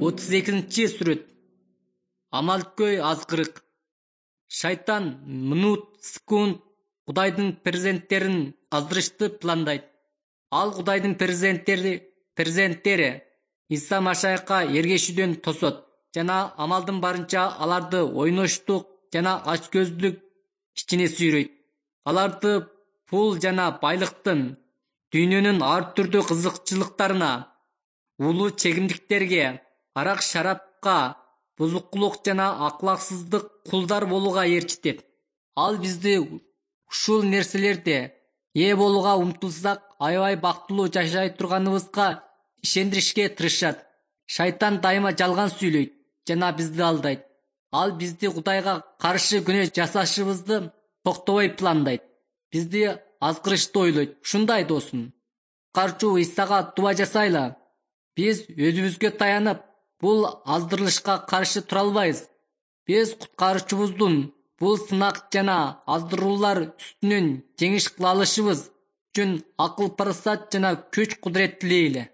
32-сүрөт. Амалкөй азгырык. Шайтан минут секунд Кудайдын перзенттерин аздырышты пландайт. Ал Кудайдын перзенттери Иса Машайыкка эргешүүдөн тосот жана амалдын барынча аларды ойноштук жана ачкөздүк ичине сүйрөйт. Аларды пул жана байлыктын, дүйнөнүн ар түрдүү кызыкчылыктарына, улуу чегимдиктерге, арак-шарапка, бузукулук жана акылаксыздык кулдар болууга ээрчитет. Ал бизди ушул нерселерде ээ болууга умтулсак, аябай бактылуу жашай турганыбызга ишендиришке тырышат. Шайтан дайыма жалган сүйлөйт жана бизди алдайт. Ал бизди Кудайга каршы күнөө жасашыбызды токтобой пландайт. Бизди азгырышты ойлойт. Ушундай досум, куткаруучу Исага дуба жасайла. Биз өзүбүзгө таянып, бул аздырылышка каршы тура албайбыз. Биз куткаруучубуздун бул сынак жана аздыруулар үстүнөн жеңиш кыла алышыбыз үчүн акыл-парасат жана күч-кудурет тилейли.